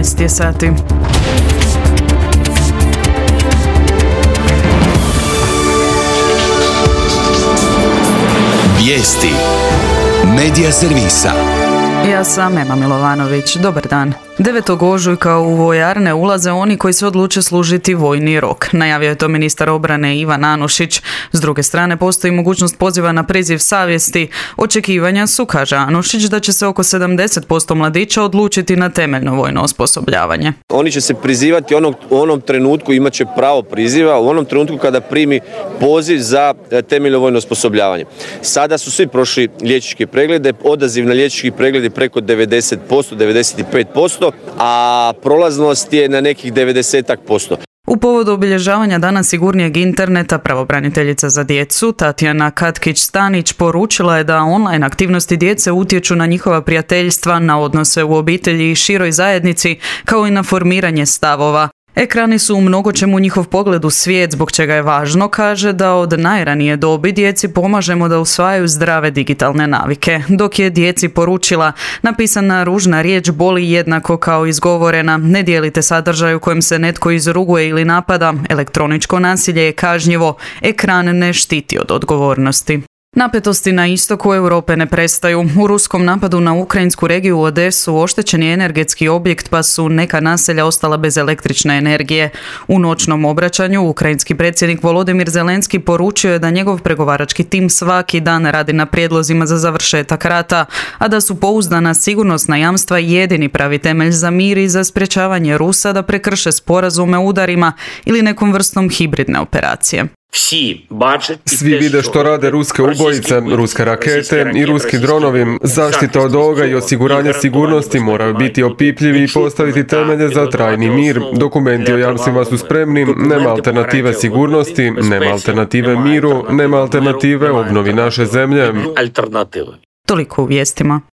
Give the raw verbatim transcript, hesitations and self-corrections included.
jedanaest je sati. Vijesti Medija servisa. Ja sam Ema Milovanović. Dobar dan. devetog ožujka u vojarne ulaze oni koji se odluče služiti vojni rok. Najavio je to ministar obrane Ivan Anušić. S druge strane, postoji mogućnost poziva na priziv savjesti. Očekivanja su, kaže Anušić, da će se oko sedamdeset posto mladića odlučiti na temeljno vojno osposobljavanje. Oni će se prizivati onog, u onom trenutku, imat će pravo priziva, u onom trenutku kada primi poziv za temeljno vojno osposobljavanje. Sada su svi prošli liječničke preglede, odaziv na liječnički pregled je preko devedeset posto, devedeset pet posto, a prolaznost je na nekih devedeset posto. U povodu obilježavanja Dana sigurnijeg interneta, pravobraniteljica za djecu Tatjana Katkić-Stanić poručila je da online aktivnosti djece utječu na njihova prijateljstva, na odnose u obitelji i široj zajednici, kao i na formiranje stavova. Ekrani su u mnogočemu njihov pogled u svijet, zbog čega je važno, kaže, da od najranije dobi djeci pomažemo da usvajaju zdrave digitalne navike. Dok je djeci poručila, napisana ružna riječ boli jednako kao izgovorena, ne dijelite sadržaj u kojem se netko izruguje ili napada, elektroničko nasilje je kažnjivo, ekran ne štiti od odgovornosti. Napetosti na istoku Europe ne prestaju. U ruskom napadu na ukrajinsku regiju Odesu oštećen je energetski objekt, pa su neka naselja ostala bez električne energije. U noćnom obraćanju ukrajinski predsjednik Volodimir Zelenski poručio je da njegov pregovarački tim svaki dan radi na prijedlozima za završetak rata, a da su pouzdana sigurnosna jamstva jedini pravi temelj za mir i za sprječavanje Rusa da prekrše sporazume udarima ili nekom vrstom hibridne operacije. Svi vide što rade ruske ubojice, ruske rakete i ruski dronovi. Zaštita od ovoga i osiguranje sigurnosti moraju biti opipljivi i postaviti temelje za trajni mir. Dokumenti o jamstvima su spremni, nema alternative sigurnosti, nema alternative miru, nema alternative obnovi naše zemlje. Toliko u vijestima.